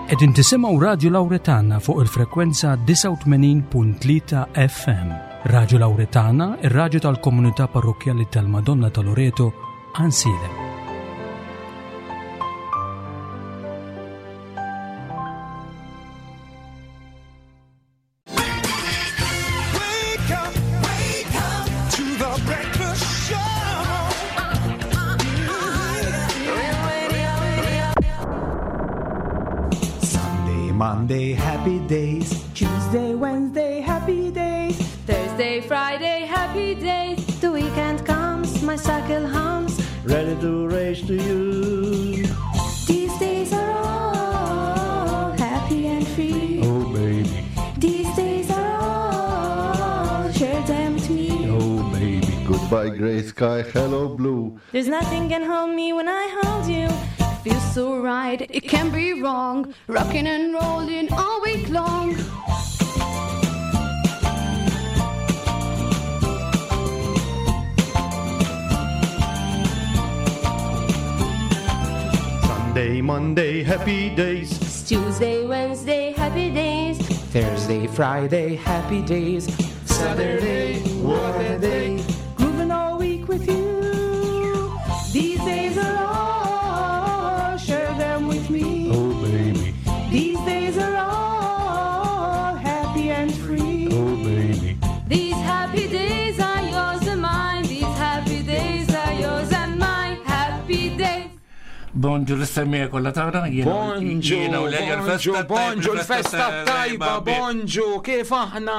Qegħdin tisimgħu Radju Lawretana fuq il-frekwenza 89.3 FM. Radju Lawretana, ir-radju tal-komunità parrokkjali tal-Madonna ta' Loreto, Ansilem. Sunday, Monday, happy days. Tuesday, Wednesday, happy days. Thursday, Friday, happy days. The weekend comes, my cycle hums. Ready to race to you. These days are all happy and free. Oh, baby. These days are all, share them with me. Oh, baby. Goodbye, gray sky. Hello, blue. There's nothing can hold me when I hold you. Feels so right, it can't be wrong. Rocking and rolling all week long. Sunday, Monday, happy days. It's Tuesday, Wednesday, happy days. Thursday, Friday, happy days. Saturday, what a day. Grooving all week with you. These days are all, share them with me. Oh, baby. These days are all happy and free. Oh, baby. These happy days are yours and mine. These happy days are yours and mine. Happy days. Bonġu l-istemmija kollha tagħna. Bonġu, bonġu, bonġu, l-festa tajba, bonġu, kif aħna,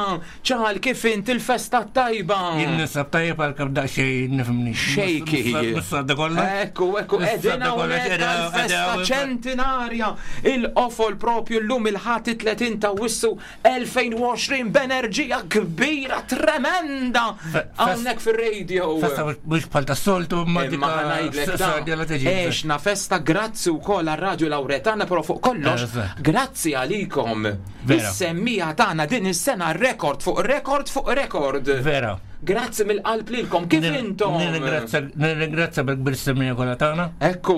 ċal, kif int il-festa tajba. Jien nisab tajjeb għal kam daqsxejn nifhimni. Shaky. Missadda kollha. Ekku, ekku, edina hawnhekk għal-festa ċentinarja. Il-qofol propju l-lum il-ħati 30 ta' wissu 2020 b'enerġija kbira tremenda hawnhekk fir-radio. Festa mhux bħal tas-soltu ma dik Imma ħanajdlek da. Eċna festa grazzi wkoll għar-Radju Lawretana però fuq kollox Eżatt. grazzi għalikom. Vera. Is-semmija tagħna din is-sena rekord fuq rekord fuq rekord. Vera. Grazzi mill-qalb lilkom kif intom? Nirringrazzja bil-kbir semmija kollha tagħna. Ekku,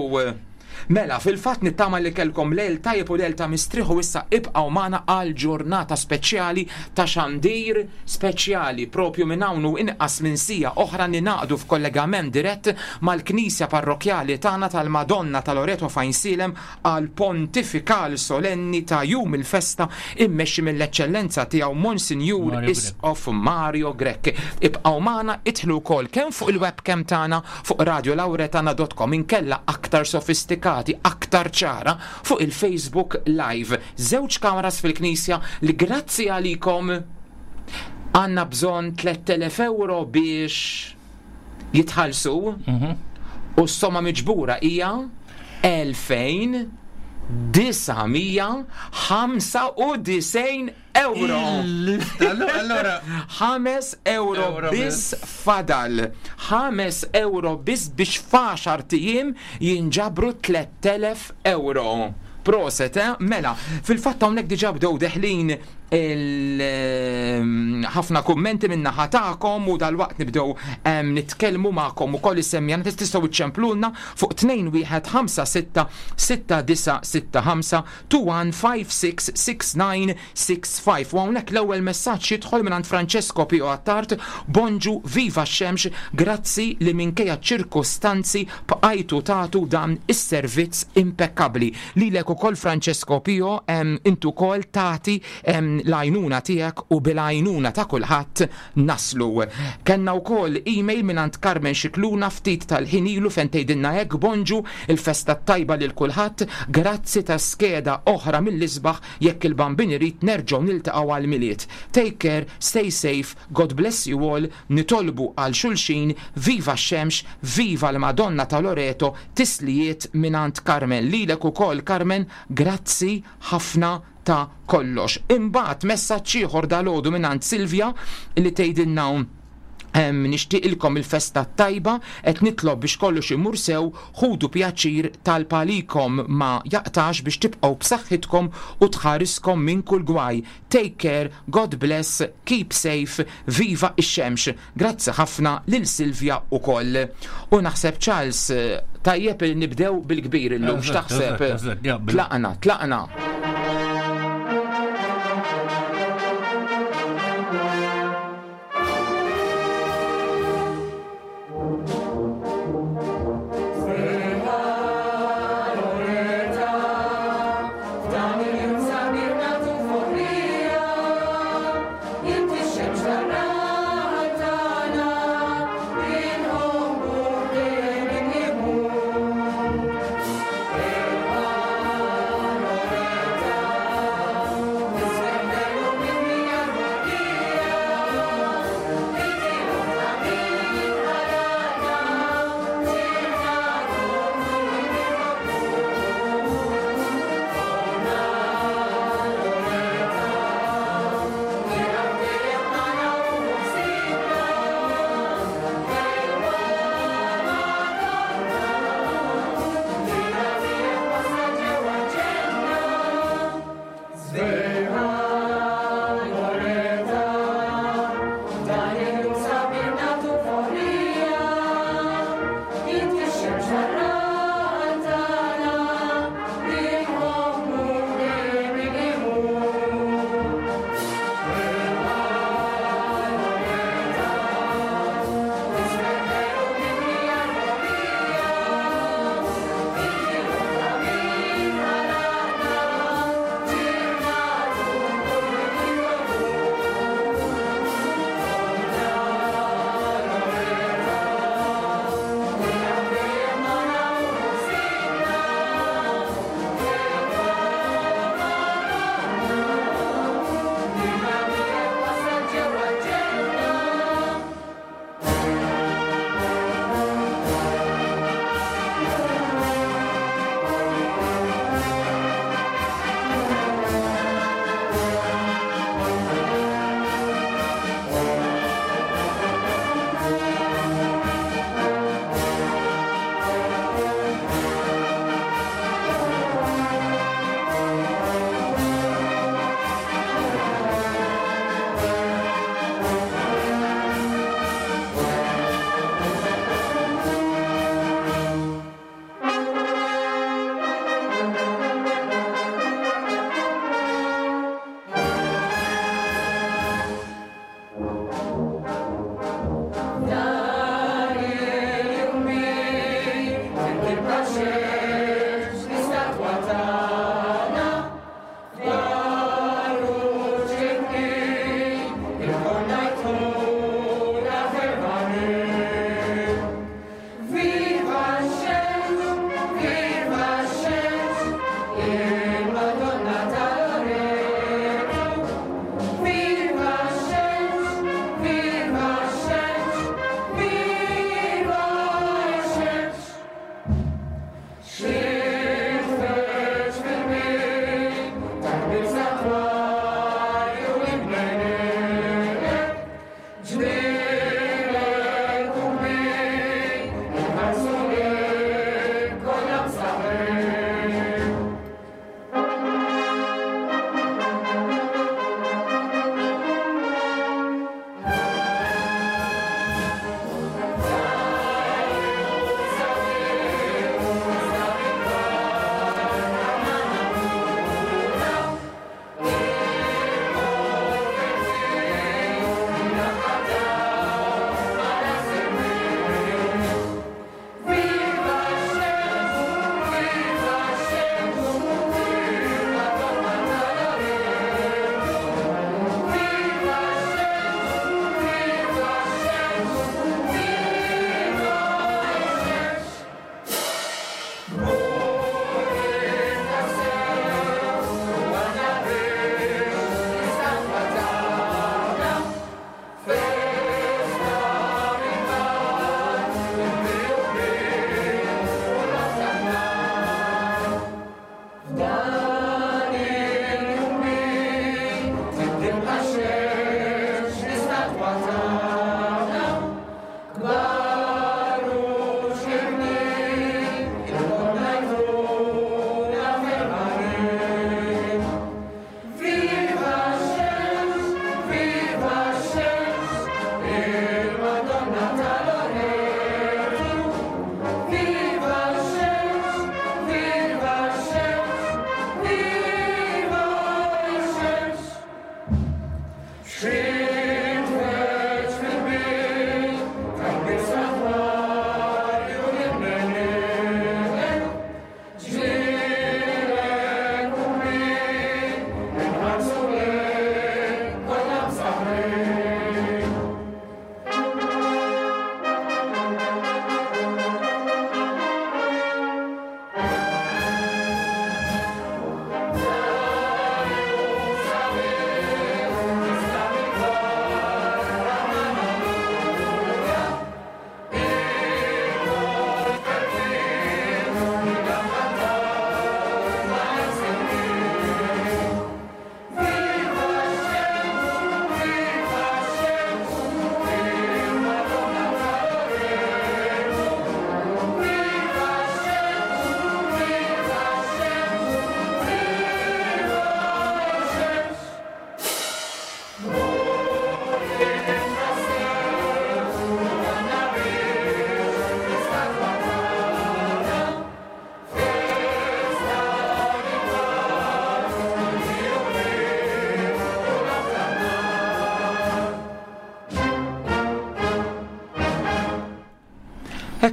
mela, fil-fatt nittama li kelkom lejl tajjeb u lejl ta' mistrieħ u issa ibqgħu magħna għal ġurnata speċjali ta' xandir speċjali propju minn hawn u inqas minn sija oħra ninaqdu f'kollegament dirett mal-Knisja Parrokjali tagħna tal-Madonna ta' Loreto f'Għajnsielem għal pontifikal solenni ta' jum il-festa immexxi mill-Eċċellenza tiegħu Monsinjur Mario Grech. Isqof Mario Grech. Ibqgħu magħna idħlu wkoll kemm fuq il-webcam tagħna fuq radiolauretana.com inkella aktar sofistikati, aktar ċara fuq il-Facebook Live. Żewġ kameras fil-Knisja li grazzi għalikom għandna bżonn 3000 euro biex jitħallsu u s-somma miġbura hija 2995 euro. Allora, 5 euro Euro biss fadal. 5 euro biss biex f'għaxar tijiem jinġabru 3000 euro. Proset, eh? Mela, fil-fatt hawnhekk diġà bdew deħlin il ehm, ħafna kummenti minna ħatakom u dal-waqt nibdew ehm, nitkellmu magħkom ukoll is-semmjana tistgħu iċċemplulna fuq 2156 6965 21566965 u hawnhekk l-ewwel messaġġ jidħol mingħand Francesco Pio Attard Bonġu viva x-xemx grazzi li minkejja ċirkostanzi bqajtu tagħtu dan is-servizz impeccabli. Lilek ukoll Francesco Pio em, intu ukoll tagħti em, l-għajnuna tiegħek u bil-għajnuna ta' kulħadd naslu. Kenna wkoll email mingħand Carmen Xikluna ftit tal-ħin ilu fejn tgħidilna hekk bonġu il-festa tajba lil kulħadd, grazzi ta' skeda oħra mill-isbaħ jekk il-bambin irid nerġgħu niltaqgħu għal Milied. Take care, stay safe, God bless you all, nitolbu għal xulxin, viva x-xemx, viva l-Madonna ta' Loreto, tislijiet mingħand Carmen. Lilek ukoll Carmen, grazzi ħafna ta' kollox. Imbagħad messaġġ ieħor dalgħodu mingħand Silvia li tgħidilna Em, nixtieqilkom il-festa tajba qed nitlob biex kollox imur sew, ħudu pjaċir tal-palikom ma jaqtax biex tibqgħu b'saħħitkom u tħariskom minn kull gwaj. Take care, God bless, keep safe, viva ix-xemx. Grazzi ħafna lil Silvia ukoll. U naħseb Charles, eh, tajjeb li nibdew bil-kbir illum, Eżatt, x'taħseb? eżatt, eżatt, jaqbel. Tlaqna, tlaqna.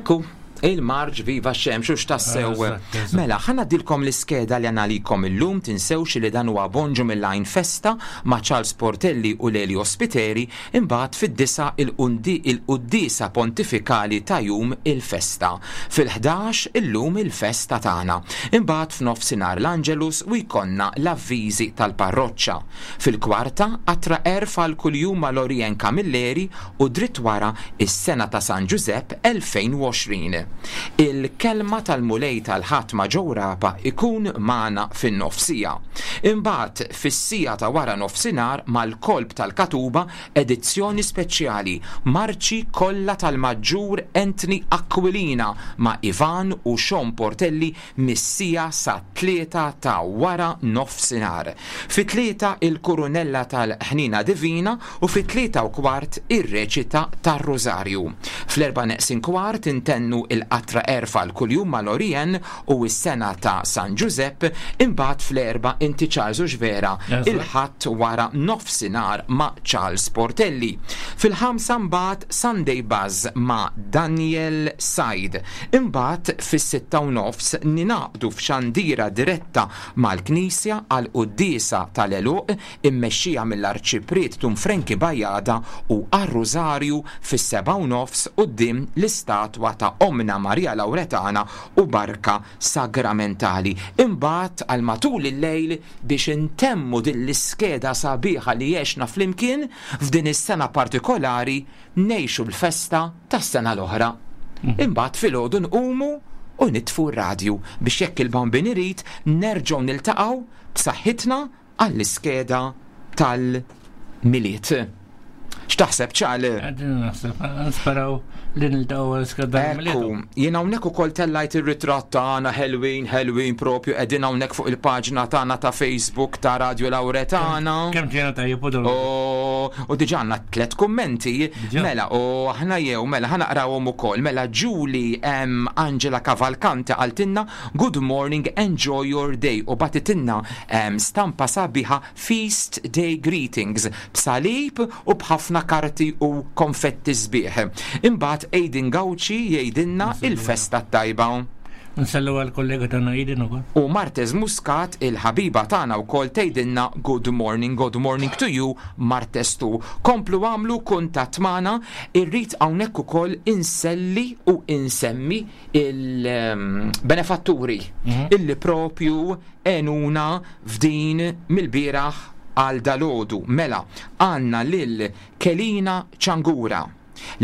Ekku, il-marġ viva xemx u x'tassew. Mela, ħa ngħaddilkom l-iskeda li għandna illum, tinsewx li dan huwa Bonġu mill-Għajn Festa ma' Charles Portelli u Lelio Spiteri, imbagħad fid-9 il-quddiesa pontifikali ta' jum il-festa. Fil-11 illum il-festa tagħna. Imbagħad f'nofsinhar l-Angelus u jkollna l-avviżi tal-parroċċa. Fil-kwarta qatra għerf għal kuljum ma' Lorien Camilleri u dritt wara is-sena ta' San Ġużepp 2020. Il-kelma tal-Mulej tal-Ħadd ma' Joe Rapa ikun magħna fin-nofsija. Imbagħad fis-siegħa ta' wara nofsinhar mal-Kolb tal-Katuba edizzjoni speċjali Marċi kollha tal-Maġġur Anthony Aquilina ma' Ivan u Sean Portelli mis-siegħa sat-3 ta' wara nofsinhar. Fit-3 il-Kurunella tal-Ħniena Divina u fit-3:15 ir-reċita tar-Rużarju. Fl-erba' neqsin kwart intennu il-qatra għerf għal kuljum ma' Lorien u s-sena ta' San Ġużepp, imbagħad fl-4 inti Charles u Xvera il-Ħadd wara nofsinhar ma' Charles Portelli. Fil-5 mbagħad Sunday Buzz ma' Daniel Said. Imbagħad fis-6:30 ningħaqdu f'xandira diretta mal-Knisja għall-quddiesa tal-għeluq immexxija mill-Arċipriet Dun Frankie Bajada u għar-Rużarju fis-7:30 quddiem l-istatwa ta' Ommna Maria Lawretana u barka sagramentali. Imbagħad għal matul il-lejl biex intemmu din l-iskeda sabiħa li għexna flimkien f'din is-sena partikolari ngħixu l-festa tas-sena l-oħra. Imbagħad filgħodu nqumu u nitfu r-radju biex jekk il-Bambin irid nerġgħu niltaqgħu b'saħħitna għall-iskeda tal-Milied. X'taħseb, Ċal? Qegħdin naħseb, nisperaw li niltaqgħu għall-iskeda tal-Milied. Ekku, jien hawnhekk ukoll tellajt ir-ritratt tagħna ħelwin, ħelwin propju qegħdin hawnhekk fuq il-paġna tagħna ta' Facebook ta' Radio Lauretana. Kemm ġejna tajjeb u dol. U diġà għandna 3 kummenti. Mela, u aħna jew, mela ħa naqrawhom ukoll. Mela Julie M. Angela Cavalcante qaltilna good morning, enjoy your day u batitilna stampa sabiħa Feast Day Greetings b'salib u b'ħafna karti u konfetti sbieħ. Imbagħad Aiden Gauci jgħidilna il-festa t-tajba. Nsellu għall-kollega tagħna Aiden ukoll. U Martez Muscat, il-ħabiba tagħna wkoll tgħidilna good morning, good morning to you Martez tu. Komplu għamlu kuntatt magħna, irrid hawnhekk ukoll inselli u insemmi il-benefatturi illi propju għenuna f'din mill-bieraħ għal dalgħodu. Mela, għandna lil Kelina Ċangura,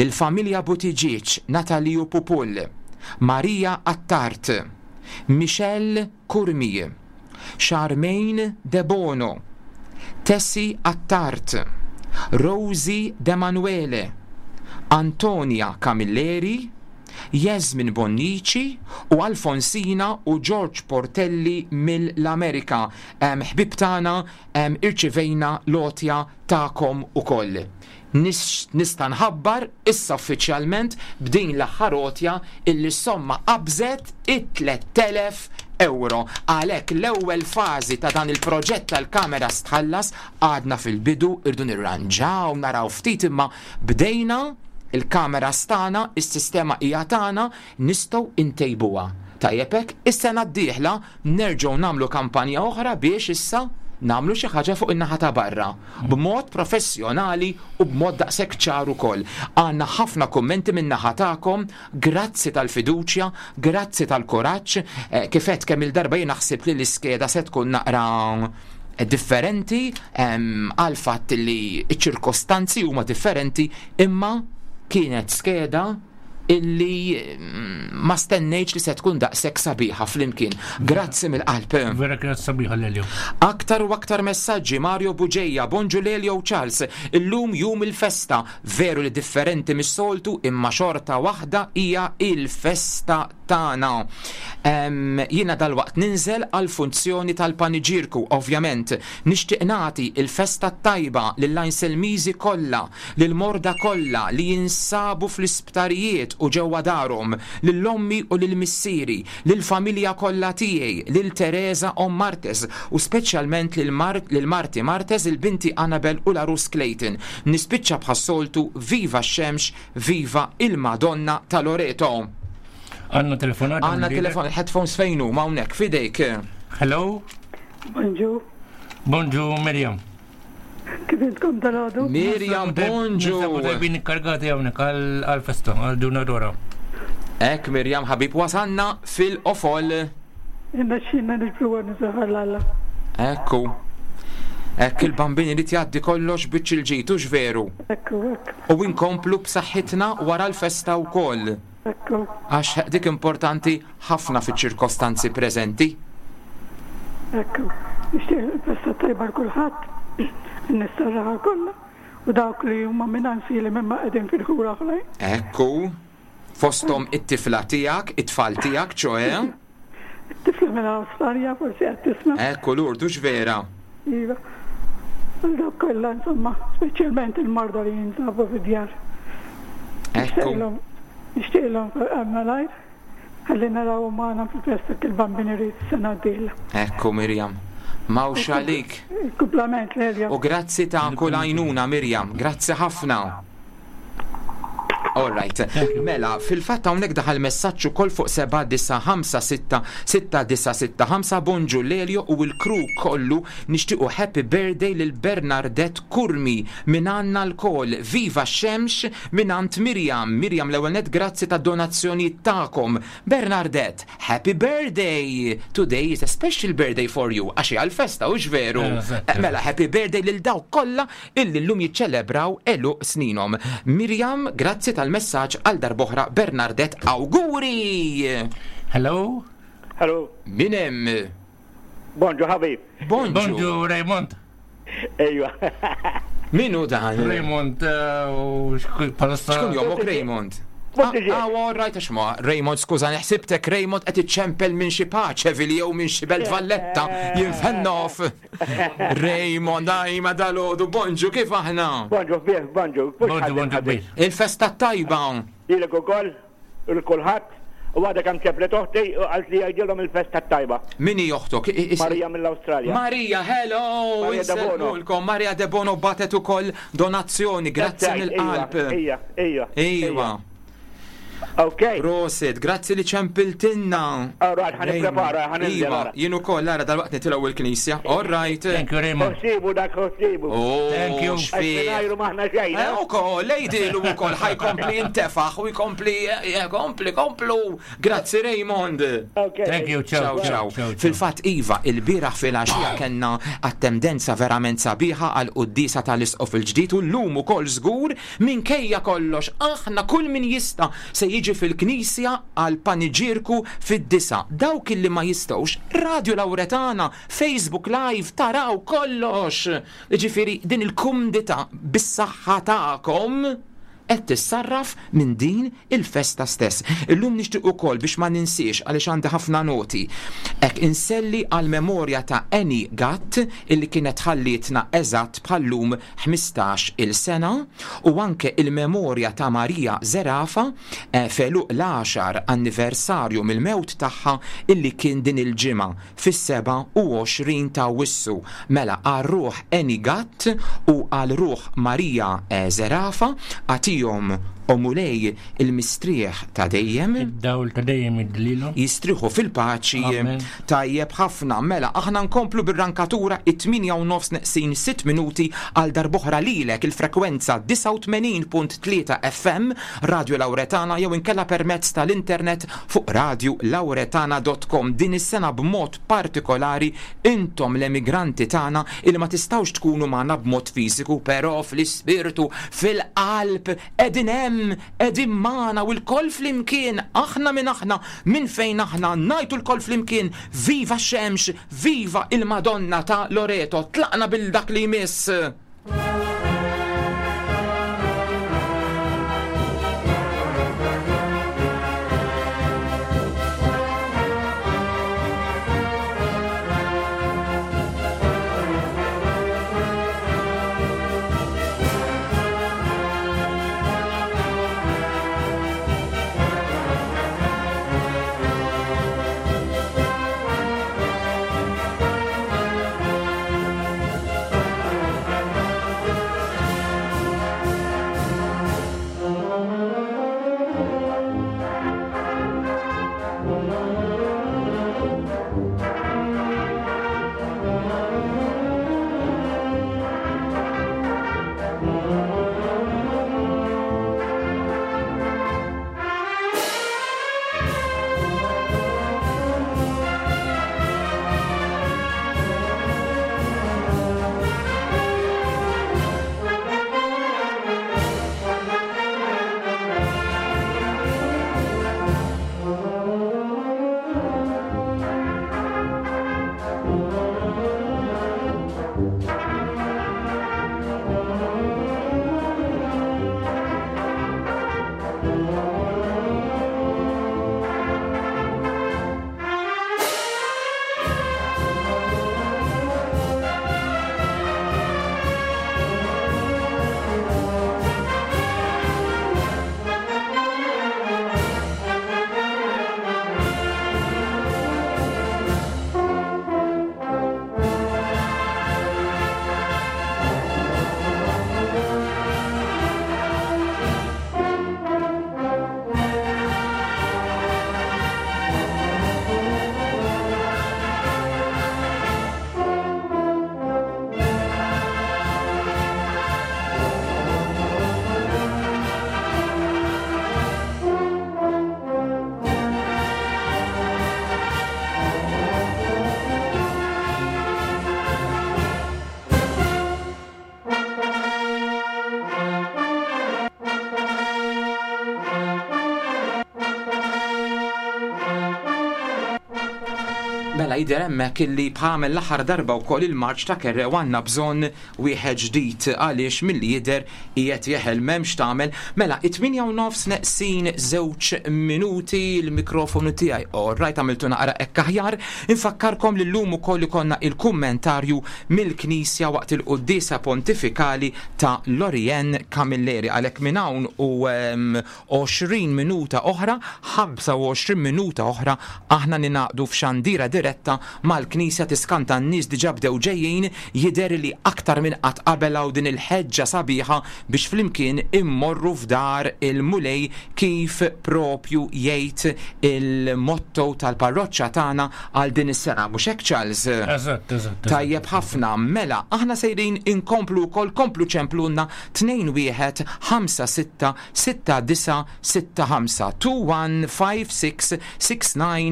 lil familja Buttigieg, Nataliju Pupull, Maria Attard, Michelle Curmi, Charmaine Debono, Tessie Attard, Rosie Demanuele, Antonia Camilleri, Jasmine Bonnici u Alfonsina u George Portelli mill-Amerika. Ħbieb tagħna, irċivejna l-għotja tagħkom ukoll. Nista' nħabbar issa uffiċjalment b'din l-aħħar għotja illi s-somma qabżet it-3,000 euro. Għalhekk l-ewwel fażi ta' dan il-proġett tal-kameras tħallas, għadna fil-bidu, irdu nirranġaw, naraw ftit imma bdejna il-kameras tagħna, is-sistema hija tagħna, nistgħu ntejbuha. Tajjeb hekk, is-sena d-dieħla nerġgħu nagħmlu kampanja oħra biex issa nagħmlu xi ħaġa fuq in-naħa ta' barra, b'mod professjonali u b'mod daqshekk ċar ukoll. Għandna ħafna kummenti min-naħa tagħkom, grazzi tal-fiduċja, grazzi tal-kuraġġ, kif għedt kemm il-darba jien naħseb li l-iskeda se tkun naqra differenti għal fatt li ċ-ċirkostanzi huma differenti, imma kienet skeda illi ma stennejtx li se tkun daqshekk sabiħa flimkien. Grazzi mill-qalb. Vera kienet sabiħa Lelio. Aktar u aktar messaġġi. Mario Buġeja, bonġu Lelio u Charles. Illum jum il-festa, veru li differenti mis-soltu, imma xorta waħda hija il-festa tagħna. Jiena dalwaqt ninżel għal funzjoni tal-paniġirku, ovvjament. Nixtieq nagħti il-festa tajba lill-Għajnselmiżi kollha, lil-morda kollha li jinsabu fl-isptarijiet u ġewwa darhom, lil-ommi u lil-missieri, lil-familja kollha tiegħi, lil Teresa Om Martez u speċjalment lil Marti Martez, il-binti Annabel u l-Arus Clayton. Nispiċċa bħas-soltu, viva x-xemx, viva il-Madonna ta' Loreto. Għandna telefonata. Għandna telefon, headphones fejn huma hawnhekk f'idejk. Hello? Bonġu. Bonġu Mirjam. Kif intkom dal-għodu? Mirjam, bonġu. Tajbin ikkargati hawnhekk għal-festa, għal Dunadora. Ek Mirjam ħabib wasanna fil-qofol. Inna xinna nġbru għan l-Alla. Ekku. Ekk il-bambin irid jgħaddi kollox biċ il-ġid, hux veru? Ekku, ekku, U inkomplu b'saħħitna wara l-festa wkoll. ekku. Għax dik importanti ħafna fiċ-ċirkostanzi preżenti. Ekku. Nixtieq il-festa tajba l-kulħadd, n-nistarraħa kollha u dawk li huma minn li minn qegħdin fil-ħura oħrajn. Ekku. Fostom it-tifla tiegħek, it-tfal tiegħek, ċoe. It-tifla minn Awstralja forsi qed tisma'. Ekku l-urdu vera. Iva. Għal dawk kollha insomma, speċjalment il-marda li jinsabu fid-djar. Ekku. Nixtieqilhom malajr ħalli naraw magħna fil-festa kil-bambin irid sena d-dieħla. Ekku Mirjam. Mawx għalik. Il-kumplament l U grazzi ta' kull għajnuna Mirjam, grazzi ħafna. All right. Mela, fil-fatt hawnhekk daħal messaġġ ukoll fuq 79566965 bonġu Lelio u l-crew kollu nixtiequ happy birthday lil Bernadette Curmi minn għandna lkoll. Viva x-xemx minn għand Mirjam. Mirjam l-ewwel net grazzi ta' donazzjoni tagħkom. Bernadette, happy birthday! Today is a special birthday for you. Għax hija l-festa, hux veru? Eżatt. Mela, happy birthday lil dawk kollha illi llum jiċċelebraw għeluq sninhom. Mirjam, grazzi tal-messaġġ għal darb'oħra Bernadette, awguri! Hello? Hello. Min hemm? Bonġu ħabib. Bonġu. Bonġu Raymond. Ejwa. Min hu dan? Raymond u palissa. Xkun jomok Raymond? Ah, all right, għax ma, Raymond, skuża, ħsibtek Raymond qed iċċempel minn xi Paċeville jew minn xi Belt Valletta, jinfennof. Raymond, aj, ma dalodu, bonġu, kif aħna? Bonġu, biex, bonġu. Bonġu, bonġu kbir. Il-festa tajba. Lilek ukoll, u l-kulħadd, u għadha kemm ċemplet oħti u qalt li jgħidilhom il-festa tajba. Min hi oħtok? Marija mill-Awstralja. Marija, hello! Maria De Bono. Insellmulkom. Maria De Bono batet ukoll donazzjoni, grazzi mill-qalb. Ija, ija. Iva. Ok. Prosit, grazzi li ċempiltinna. All right, ħa nipprepara, ħa ninżel Iva, ara. jien ukoll ara dal-waqt nitilgħu il-knisja. All right. Thank you Raymond. Ħsibu dak ħsibu. Oh, Thank you. Għax xfieq. mingħajru m'aħna xejn. Eh, ukoll, lejdilu ukoll, ħa jkompli jintefaħ u jkompli, kompli, komplu. Grazzi Raymond. Ok. Thank you, ciao. Ciao, ciao. Fil-fatt Iva, il-bieraħ fil-għaxija kellna attendenza verament sabiħa għal quddisa tal-isqof il-ġdid u llum ukoll żgur minkejja kollox aħna kull min jista' se jiġi fil-knisja għal paniġirku fid-9. Dawk illi ma jistgħux, Radio Lauretana, Facebook Live, taraw kollox. Ġifieri din il-kumdità bis-saħħa tagħkom qed tissarraf minn din il-festa stess. Illum nixtieq ukoll biex ma ninsiex għaliex għandi ħafna noti. Ek inselli għal memorja ta' Annie Gatt illi kienet ħallietna eżatt bħallum 15 il-sena u anke il-memorja ta' Maria Zerafa f'għeluq l-10 anniversarju mill-mewt tagħha illi kien din il-ġimgħa fis-27 ta' Awwissu. Mela għal ruħ Annie Gatt u għal ruħ Maria Zerafa għatihom o Mulej il-mistrieħ ta' dejjem. Id-dawl ta' dejjem id-dlilu. Jistriħu fil-paċi. Amen. Tajjeb ħafna. Mela, aħna nkomplu bir-rankatura it-8 u nofs neqsin 6 minuti għal darb'oħra lilek il-frekwenza 89.3 FM Radio Lauretana jew inkella permezz tal-internet fuq radiolauretana.com. Din is-sena b'mod partikolari intom l-emigranti tagħna illi ma tistgħux tkunu magħna b'mod fiżiku, però fl-ispirtu, fil-qalb, qegħdin hemm, qegħdin magħna u lkoll flimkien, aħna minn aħna, minn fejn aħna, ngħidu lkoll flimkien, viva x-xemx, viva il-Madonna ta' Loreto, tlaqna bil-dak li jmiss. Thank Mela jidher hemmhekk illi bħamel l-aħħar darba wkoll il-marċ ta' Kerrew għandna bżonn wieħed ġdid għaliex milli jidher qiegħed jeħel m'hemmx tagħmel. Mela, it-tmienja u nofs neqsin żewġ minuti l-mikrofonu tiegħi. All right, għamiltu naqra hekk aħjar. Infakkarkom li llum ukoll ikollna il-kummentarju mill-Knisja waqt il-quddiesa pontifikali ta' Lorianne Camilleri. Għalhekk minn hawn u 20 minuta oħra, 25 minuta oħra, aħna ningħaqdu f'xandira diretta mal-Knisja tiskanta n-nies diġà bdew ġejjin, jidher li aktar minn qatt qabel hawn din il-ħeġġa sabiħa biex flimkien immorru f'dar il-Mulej kif propju jgħid il-motto tal-parroċċa tagħna għal din is-sena. Mhux hekk Charles? Eżatt, eżatt. Tajjeb ħafna. Mela, aħna sejrin inkomplu wkoll komplu ċemplulna 2 1 5 6 6965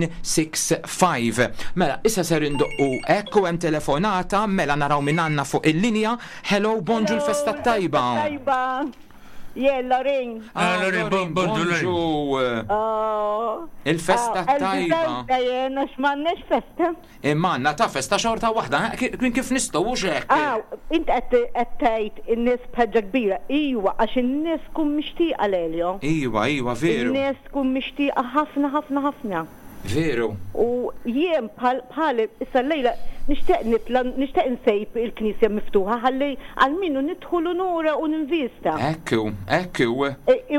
21566965. Mela, issa ser indoqqu hekk u hemm telefonata, mela naraw min għandna fuq il-linja. Hello, bonġu l-festa tajba. Tajba. Jien Lorin. Ah, Lorin, bonġu. Oh. Il-festa Ah, tajba. Jien għax m'għandniex festa. Imma għandna ta' festa xorta waħda, kien kif nistgħu hux hekk? Aw, int qed qed tgħid in-nies b'ħeġġa kbira. Iwa, għax in-nies tkun mixtieqa Lelio. Iwa, iwa, veru. In-nies tkun mixtieqa ħafna ħafna ħafna. Veru. U jien bħal bħali issa llejla nixtieq nitla' nixtieq insejb il-knisja miftuħa ħalli għalmenu nidħol u nura u ninvista. Hekk hu, hekk hu.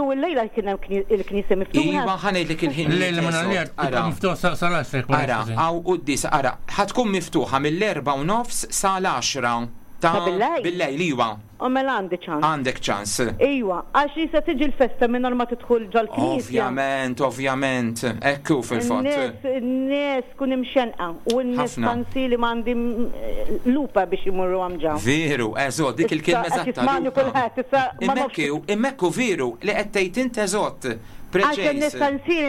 U llejla kien hemm il-knisja miftuħa? Iva, ħa ngħidlek il-ħinijiet. Llejla ma nagħliha tibqa' miftuħa sal-għaxra jekk ma Ara, hawn quddiesa, ara, ħa tkun miftuħa mill-erbgħa u nofs sal-għaxra ta' Billejl? Billejl, iva. U mela għandi ċans. Għandek ċans. Iwa, għax li se tiġi l-festa mingħajr ma tidħol ġol-knisja. Ovvjament, ovvjament, hekk hu fil-fatt. In-nies, in-nies tkun imxennqa u n-nies Ħafna. fancy li m'għandi lupa biex imorru hemm ġa. Veru, eżott, dik il-kelma Issa qed eżatta. jismagħni lupa. kulħadd, issa ma nafx. Imma hekk hu, imma hekk hu veru li qed tgħid int eżott. Għax in-nies Preċiż. fancy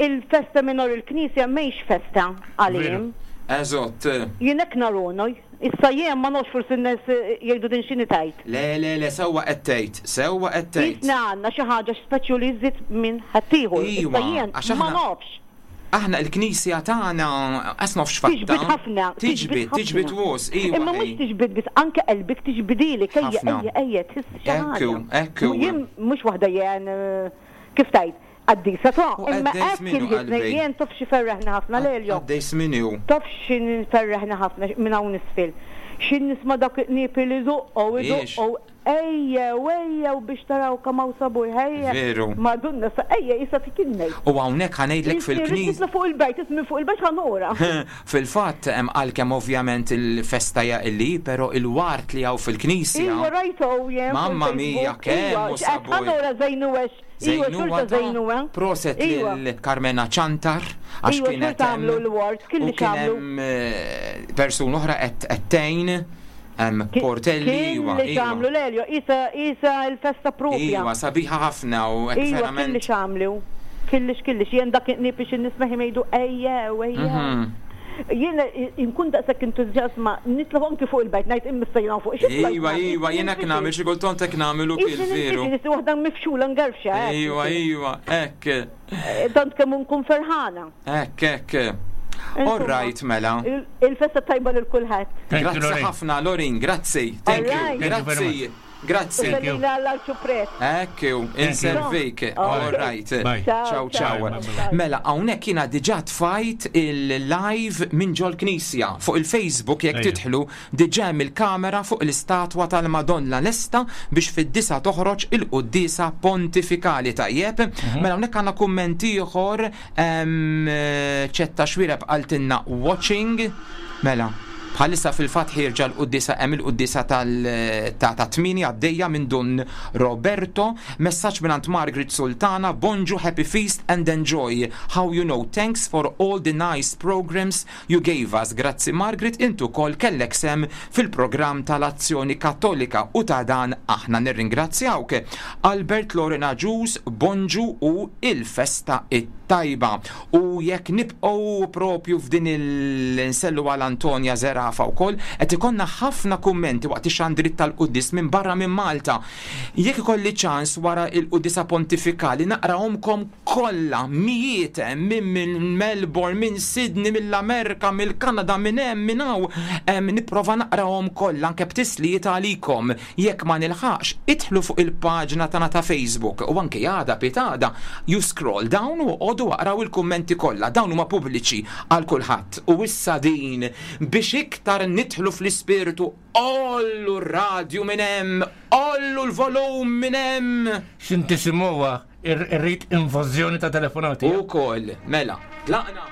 il-festa mingħajr il-knisja mhix festa għalihom. Eżott. Jien hekk narunoj. Issa jien ma nafx forsi n-nies jgħidu din x'inhi tgħid. Le, le, le, sewwa qed tgħid, sewwa qed tgħid. Qisna għandna xi ħaġa speċju li żżid minn ħaddieħor. Iwa, Issa jien għax ma aħna- nafx. Aħna l-knisja tagħna qas nafx fatta. Tiġbid ħafna. Tiġbid, tiġbid ħafna. wos, iwa. Imma mhux tiġbid biss, anke qalbek tiġbidilek, ejja, Ħafna. ejja, ejja, tħiss xi Hekk hu, ħaġa. hekk hu. Jien mhux waħda jien kif tgħid, qaddisa ta' U imma għaddej hekk żmienu, inħissni qalbi. jien taf xi ferreħna ħafna Lelio. Għaddej żmienu. Taf xi ferreħna ħafna minn hawn isfel. Xi nisma' dak it-qniepi li żoqqgħu, Iex. idoqqgħu, ejjew, ejjew biex taraw kemm hawn sabuħ, ejja. Veru. Madonna sa ejja issa tikinnej. U hawnhekk ħa ngħidlek fil-knisja. Nitla' fuq il-bejt, minn fuq il-bejt ħa nora. Fil-fatt hemm għalkemm ovvjament il-festa hija illi, però il-wart li hawn fil-knisja. Iwa rajtu jien. fuq Mamma mia, il-Facebook. kemm Iwa, hu x'qed sabuħ. ħa nora żejnu għax. Iwa, Żejnuha xorta ta' żejnuha. Proset Iwa. lil Carmena Ċantar għax Iwa, kienet xorta għamlu hemm. l-wart, U kelli kien x'għamlu. hemm persuna oħra qed qed tgħin hemm Portelli iwa, Kelli iwa. x'għamlu Lelio, isa isa l-festa propja. Iwa, sabiħa ħafna u hekk Iwa, kelli verament. x'għamlu. Kellix, kellix, jien dak it-nipi xi nisma' jgħidu ejjew, ejjew. Jien inkun daqshekk entużjasma nitla' anki fuq il-bejt ngħid imma jiena fuq xi Iwa, iwa, jien hekk nagħmel xi kultant hekk nagħmel ukoll veru. Nisi waħda mifxula ngerfxa. hekk. Iwa, iwa, hekk, Tant kemm nkun ferħana. hekk, hekk. All right, mela. Il-festa tajba lil kulħadd. Grazzi ħafna, Lorin, grazzi. Thank you. All right. Grazzi. Grazzi. Sellina l-ċupret. Ekku, inservik. All right. Bye. Ciao, ciao. Mela, hawnhekk jiena diġà tfajt il-live minn ġol knisja fuq il-Facebook jekk Ejja. tidħlu diġà hemm il-kamera fuq l-istatwa tal-Madonna lesta biex fid-disa toħroġ il-quddiesa pontifikali tajjeb. Mela hawnhekk għandna kumment ieħor ċetta xwireb qaltilna watching. Mela, Bħalissa fil-fatt ħierġa l-quddisa hemm il-quddisa tal ta' ta' tmieni għaddejja minn Dun Roberto, messaġġ mingħand Margaret Sultana, Bonġu happy feast and enjoy. How you know, thanks for all the nice programs you gave us. Grazzi Margaret, intu kol kellek sem fil-programm tal-Azzjoni Kattolika u ta' dan aħna nirringrazzjawk. Albert Lorena Ġus, Bonġu u il-festa it-tajba. t-tajba. U jekk nibqgħu propju f'din il-nsellu għal Antonia Zerafa wkoll, qed ikollna ħafna kummenti waqt ix-xandriet tal-quddies minn barra minn Malta. Jekk ikolli ċans wara il-quddiesa pontifikali naqrahomkom kollha, mijiet hemm min minn Melbourne, minn Sydney, mill-Amerka, mill-Kanada, minn hemm, minn hawn, nipprova naqrahom kollha anke b'tislijiet għalikom. Jekk ma nilħaqx, idħlu fuq il-paġna tagħna ta' Facebook u anke għada pitgħada, you scroll down u oqogħdu aqraw il-kummenti kollha, dawn huma pubbliċi għal kulħadd. U issa din, biex iktar nidħlu fl-ispirtu, għollu r-radju minn hemm, għollu l-volum minn hemm! X'intisimgħuha, irrid invażjoni ta' telefonati. Ukoll, mela, tlaqna!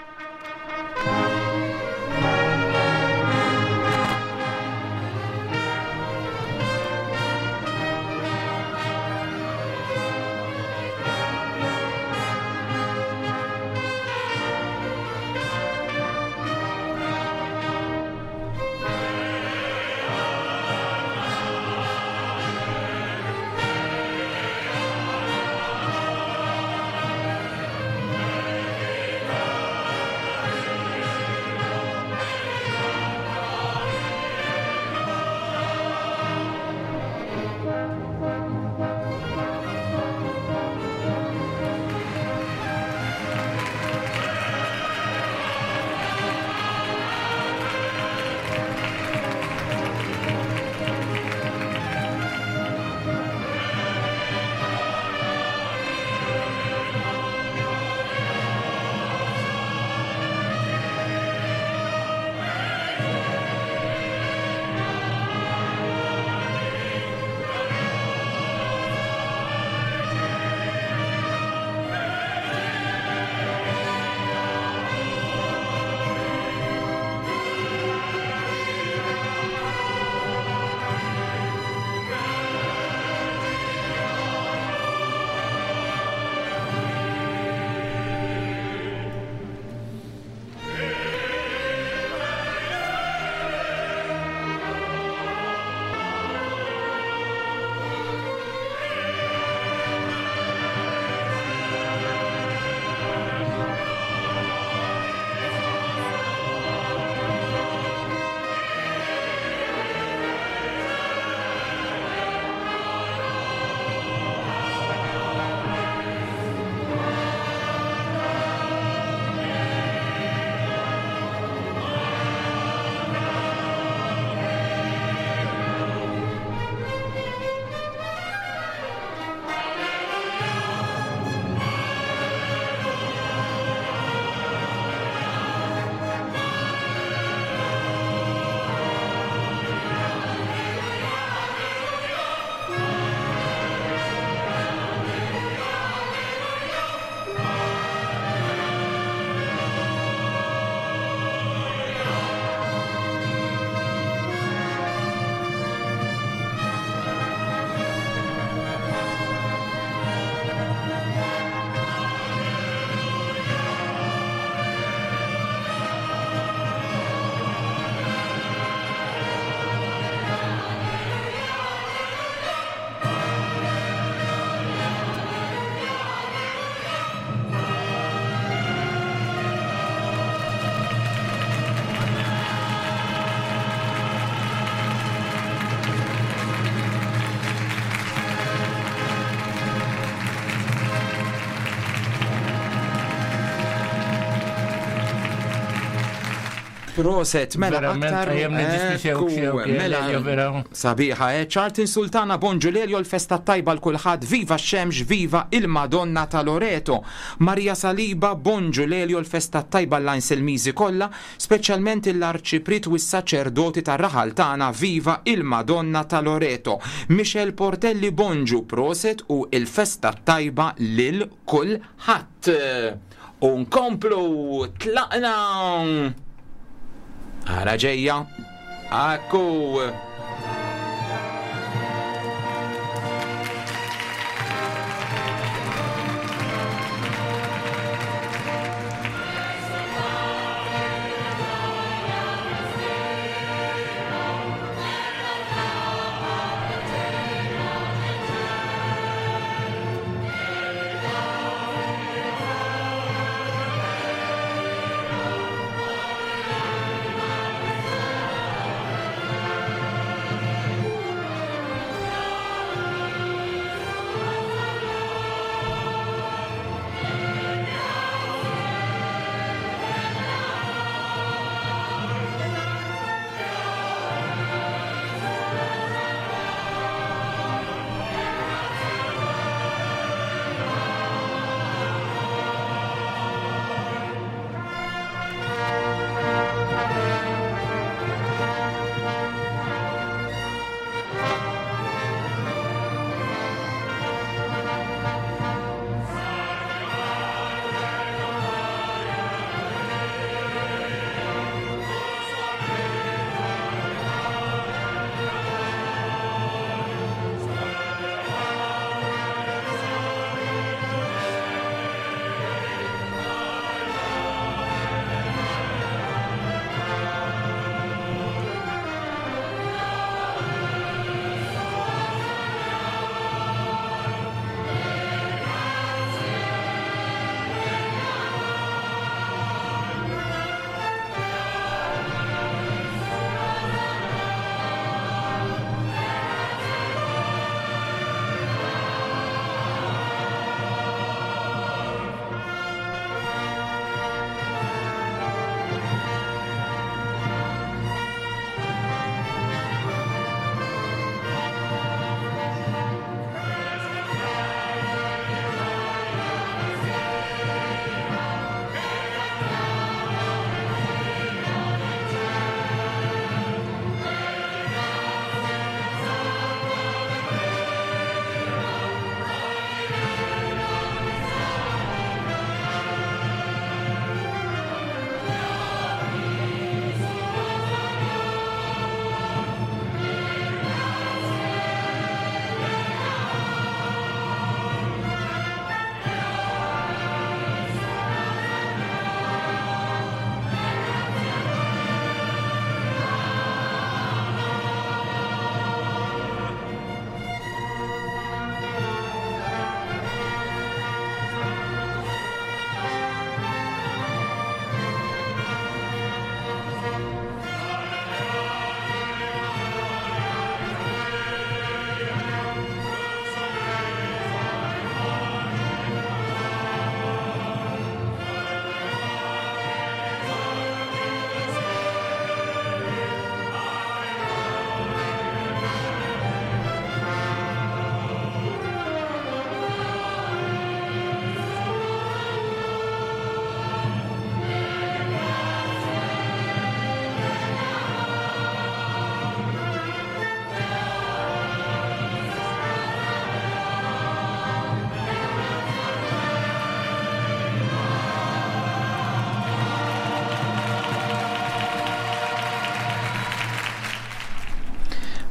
Proset, mela aktar. Mela, sabiħa, eh? Charlton Sultana, bonġu Lelio, l-festa tajba l-kulħadd, viva x-xemx, viva il-Madonna ta' Loreto. Maria Saliba, bonġu Lelio, l-festa tajba l-Anselmiżi kollha, speċjalment l-arċipriet u s-saċerdoti tar-raħal tagħna, viva il-Madonna ta' Loreto. Michel Portelli, bonġu, proset u il-festa tajba lil kulħadd. U nkomplu tlaqna. Ara ġejja. Akku.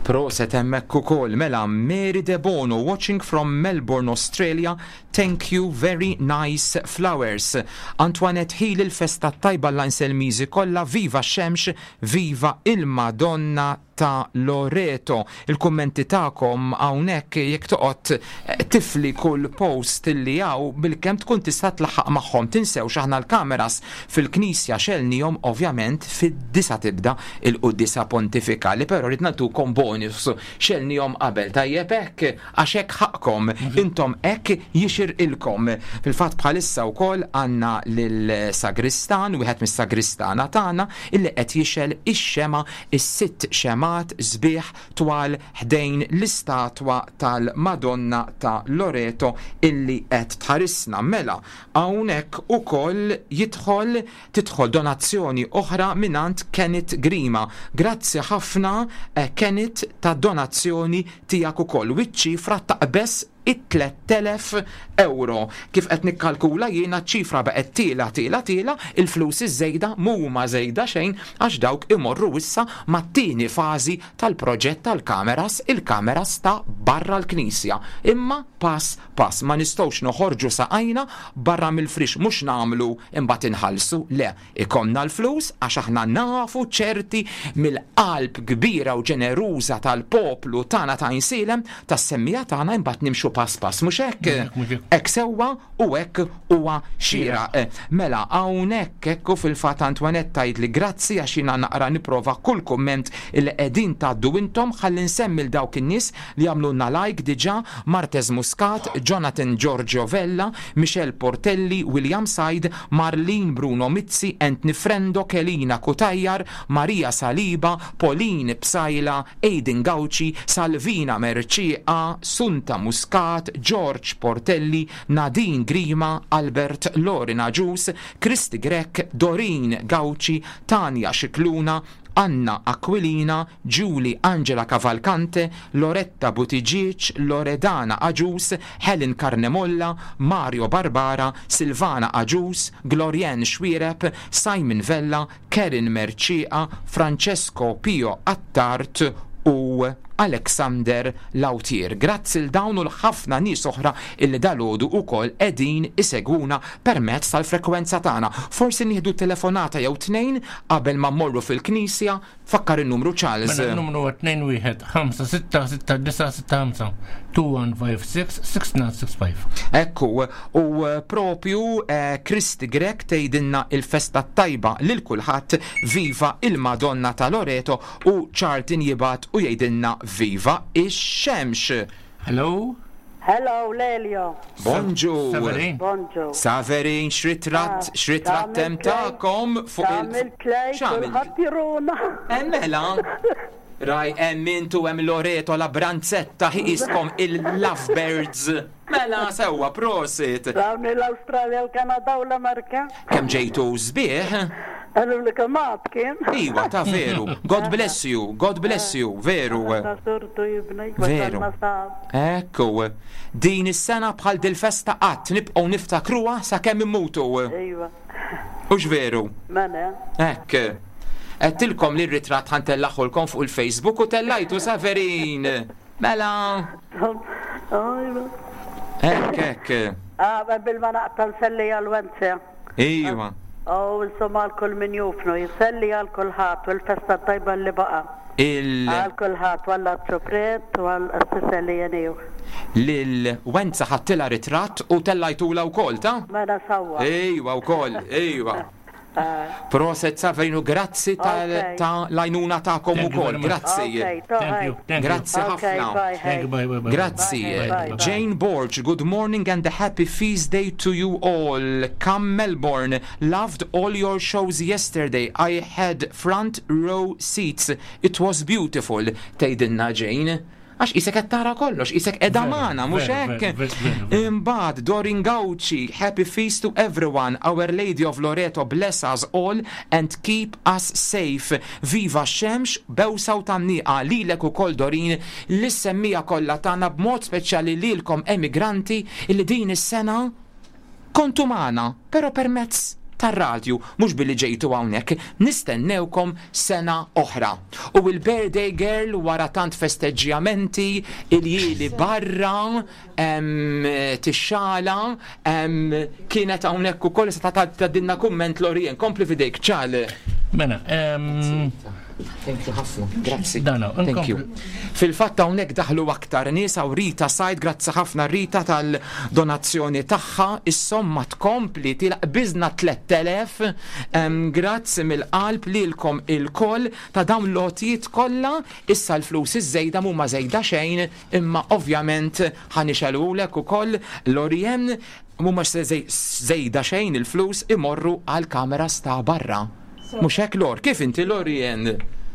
Proset hemmhekk ukoll mela Mary Debono watching from Melbourne, Australia. Thank you, very nice flowers. Antoinette Hill il-festa tajba l-Anselmiżi kollha, viva x-xemx, viva il-Madonna ta' Loreto. Il-kummenti tagħkom hawnhekk jekk toqgħod eh, tifli kull post li hawn bilkemm tkun tista' tlaħħaq magħhom. Tinsewx aħna l-kameras fil-knisja xelnihom ovvjament fid-disa tibda il-quddiesa pontifikali, però rrid nagħtukom bonus xelnihom qabel tajjeb hekk għax hekk ħaqqkom, intom hekk jixirqilkom. Fil-fatt bħalissa wkoll għandna lill-sagristan, wieħed mis-sagristana tagħna, illi qed jixgħel ix-xemgħa, is-sitt xemgħat sbieħ twal ħdejn l-istatwa tal-Madonna ta' Loreto illi qed tħarisna. Mela, hawnhekk ukoll jidħol tidħol donazzjoni oħra mingħand Kenneth Grima. Grazzi ħafna Kenneth tad-donazzjoni tiegħek ukoll. U ċ-ċifra taqbeż it-3,000 ewro. Kif qed nikkalkula jiena ċ-ċifra baqgħet tiela' tiela' tiela', il-flus iż-żejda mhuma żejda xejn għax dawk imorru issa mat-tieni fażi tal-proġett tal-kameras, il-kameras ta' barra l-knisja. Imma pass pass, ma nistgħux noħorġu saqajna barra mill-friex, mhux nagħmlu imbagħad inħallsu, le, ikollna l-flus għax aħna nafu ċerti mill-qalb kbira u ġeneruża tal-poplu tagħna ta' Għajnsielem, tas-semmiegħa tagħna imbagħad nimxu pass pass, mhux hekk? Hekk sewwa u hekk huwa xieraq. Mela hawnhekk hekk u fil-fatt Antoinette tgħidli grazzi għax jiena naqra nipprova kull kumment illi qegħdin tgħaddu intom ħalli nsemmi 'l dawk in-nies li għamlulna like diġà, Martez Muscat, Jonathan Giorgio Vella, Michelle Portelli, William Said, Marlene Bruno Mizzi, Anthony Frendo, Kelina Cutajar, Maria Saliba, Pauline Psaila, Aidan Gauci, Salvina Mercieca, Sunta Muscat, George Portelli, Nadine Grima, Albert Lorin Agius, Kristy Grech, Doreen Gauci, Tania Scicluna, Anna Aquilina, Julie Angela Cavalcante, Loretta Buttigieg, Loredana Agius, Helen Carnemolla, Mario Barbara, Silvana Agius, Glorianne Xuereb, Simon Vella, Karen Mercieca, Francesco Pio Attard u Alexander Lautier. Grazzi 'l dawn u 'l ħafna nies oħra illi dalgħodu ukoll qegħdin isegwuna permezz tal-frekwenza tagħna. Forsi nieħdu telefonata jew tnejn qabel ma mmorru fil-knisja. Fakkar in-numru Charles. Mela n-numru huwa 21566965 2156 6965. Ekku, u propju Kristi Grech tgħidilna il-festa t-tajba lil kulħadd, viva il-Madonna ta' Loreto u Charlton jibgħat u jgħidilna viva ix-xemx. Hello. Hello, Lelio. Bonġu. Saverin. Bonġu. Saverin, x'ritratt, x'ritratt hemm tagħkom fuq il. Għamilt lejk kulħadd juruna. Eh mela. Raj hemm int u hemm Loreto la Branzetta ħiqiskom il-Lovebirds. Mela sewwa prosit. Rawni l-Awstralja, l-Kanada u l-Amerka. Kemm ġejtu sbieħ. Qaluli kemm għad kien. Iwa, ta' veru. God bless you, God bless you, veru. Veru. Ekku. Din is-sena bħal dil-festa qatt nibqgħu niftakruha sakemm immutu. Iva. Hux veru? Mela. Hekk. Għedtilkom li r-ritratt ħa ntellagħhulkom fuq il-Facebook u tellajtu Saverin. Mela. Hekk, hekk. Ah, qabel ma naqta' nselli għal Wenze. Iva. U insomma għal kull min jufnu, jselli għal kulħadd u l-festa tajba li baqa'. Il. Għal kulħadd u għall-Arċipriet u għall-qassis Elieniju. Lil Wenza ħadtilha ritratt u tellajtulha wkoll, ta? Mela sewwa. Ejwa wkoll, ejwa. Proset Saverinu, grazzi ta' l-għajnuna tagħkom ukoll. Grazzi. Grazzi ħafna. Grazzi. Jane Borg, good morning and a happy feast day to you all. Come Melbourne, loved all your shows yesterday. I had front row seats. It was beautiful. Tgħidilna Jane. Għax qisek qed tara kollox, qisek qiegħda magħna, mhux hekk? Imbagħad Dorin Gauci, happy feast to everyone, Our Lady of Loreto bless us all and keep us safe. Viva x-xemx, bewsa u tgħanniqa lilek ukoll Dorin, lis-semmiegħa kollha tagħna b'mod speċjali lilkom emigranti li din is-sena kontu magħna, però permezz. tar-radju, mhux billi ġejtu hawnhekk. Nistennewkom sena oħra. U il-birthday girl wara tant festeġġjamenti, iljieli barra, tixxala, kienet hawnhekk ukoll se tgħaddilna kumment Lorien. Kompli f'idejk, Ċal. Mela, Thank you ħafna, grazzi. Thank you. Fil-fatt hawnhekk daħlu aktar nies hawn Rita Said, grazzi ħafna Rita tal-donazzjoni tagħha, is-somma tkompli tilaq biżna 3000. Grazzi mill-qalb lilkom ilkoll ta' dawn l-għotjiet kollha. Issa l-flus iż-żejda mhuma żejda xejn, imma ovvjament ħa nixegħlulek ukoll Lorien, mhuma żejda xejn il-flus imorru għall-kameras ta' barra. Mhux hekk Lor? Kif inti Lorien?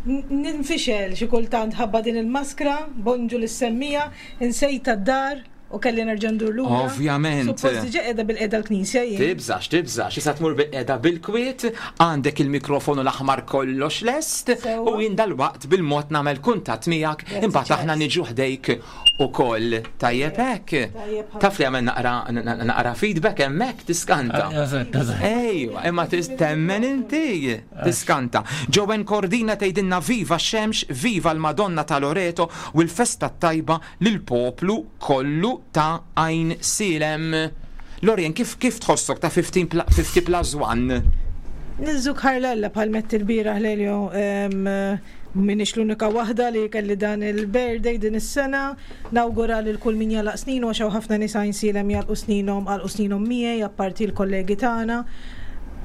Ninfixel xi kultant ħabba din il-maskra, bonġu lis-semmiegħa, insejtha d-dar u kelli nerġa' ndur lura. Ovvjament. Suppost diġà qiegħda bilqiegħda l-knisja jien. Tibżax, tibżax, issa tmur bilqiegħda bil-kwiet, għandek il-mikrofonu l-aħmar kollox lest u jien dalwaqt bil-mod nagħmel kuntatt miegħek, imbagħad aħna niġu ħdejk ukoll. Tajjeb hekk? Taf li għamel naqra naqra feedback hemmhekk tiskanta. Ejwa, imma temmen inti tiskanta. Joanne Cordina tgħidilna viva x-xemx, viva l-Madonna ta' Loreto u l-festa t-tajba lill-poplu kollu ta' Għajnsielem. Lorien, kif kif tħossok ta' 50 plus 1? Niżżuk ħarlella bħal mett il-bieraħ Lelio M'iniex l-unika waħda li kelli dan il-birthday din is-sena. Nawgura lil kull min jagħlaq sninu għax hawn ħafna nies Għajnsielem jagħlqu sninhom, għalqu sninhom miegħi apparti l-kollegi tagħna.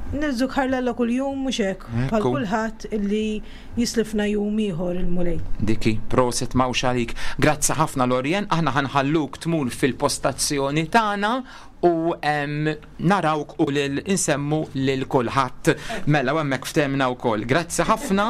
Niżżuk ħarlella kuljum mhux hekk, bħal kulħadd illi jislifna jum ieħor il-Mulej. Dik hi, proset m'hawnx għalik. Grazzi ħafna Lorien, aħna ħa nħalluk tmur fil-postazzjoni tagħna u narawk u lil insemmu lil kulħadd. Mela u hemmhekk ftehmna wkoll. Grazzi ħafna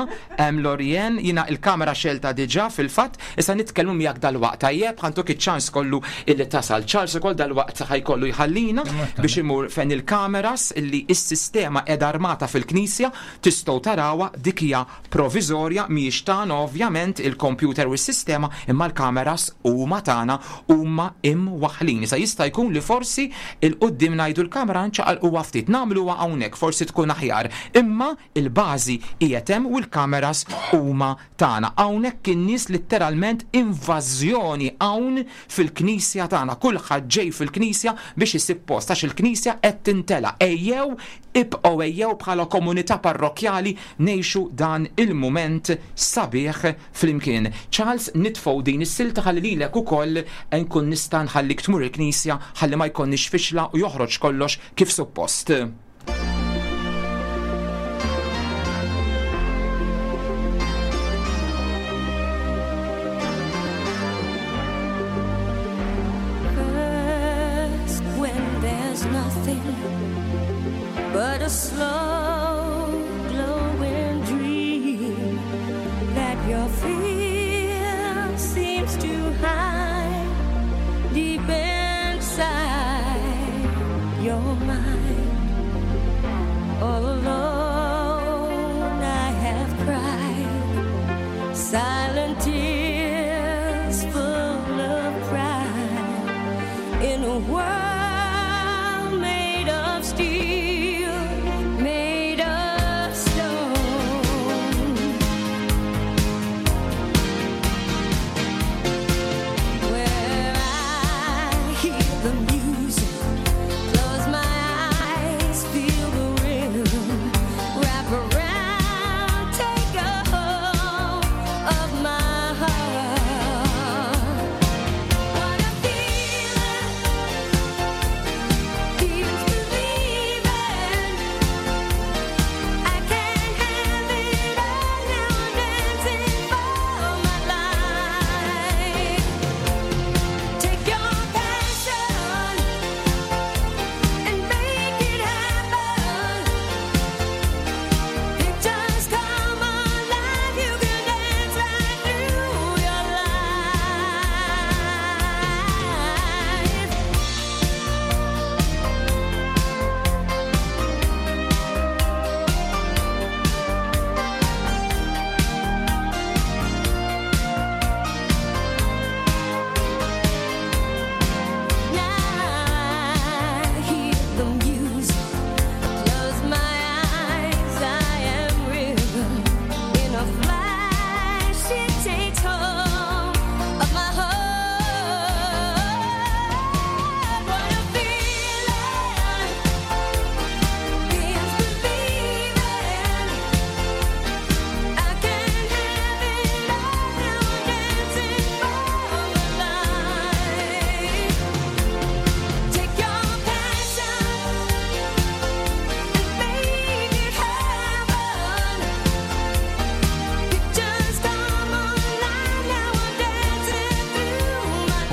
Lorien, jiena il-kamera xelta diġà fil-fatt, issa nitkellmu miegħek dalwaqt tajjeb, ħantuk iċ-ċans kollu illi tasal. Charles ukoll dalwaqt ħajkollu jħallina biex imur fejn il-kameras illi s-sistema qiegħda armata fil-knisja, tistgħu tarawha dik hija proviżorja, mhijiex tagħna ovvjament il-kompjuter u s-sistema, imma l-kameras huma tagħna, huma imwaħħlin. Issa jista' jkun li forsi 'l quddiem ngħidu l-kamera nċaqalquha ftit, nagħmluha hawnhekk forsi tkun aħjar, imma l-bażi qiegħed hemm u l-kameras huma tagħna. Hawnhekk in-nies litteralment invażjoni hawn fil-knisja tagħna. Kulħadd ġej fil-knisja biex isib post għax il-knisja qed tintela'. Ejjew Ibqgħu ejjew bħala komunità parrokkjali ngħixu dan il-mument sabiħ flimkien. Charles, nitfgħu din is-silta ħalli lilek ukoll nkun nista' nħallik tmur il-knisja ħalli ma jkollniex fixla u joħroġ kollox kif suppost. First, when there's nothing but a slow glowing dream that your fear seems to hide deep inside your mind.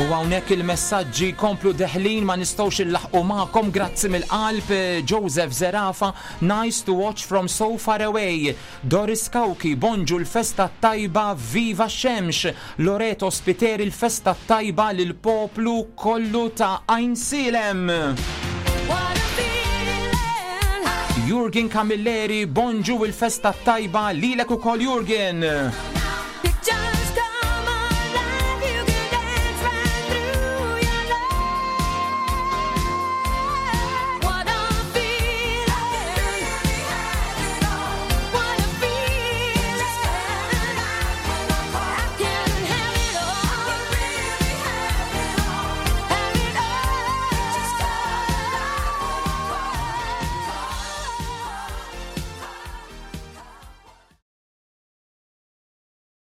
U hawnhekk il-messaġġi komplu deħlin ma nistgħux illaħqu magħkom grazzi mill-qalb Joseph Zerafa nice to watch from so far away Doris Cauchi bonġu l-festa t-tajba viva x-xemx Loreto Spiteri l-festa t-tajba lill-poplu kollu ta' Għajnsielem. Jurgen Camilleri bonġu il-festa t-tajba lilek ukoll Jurgen.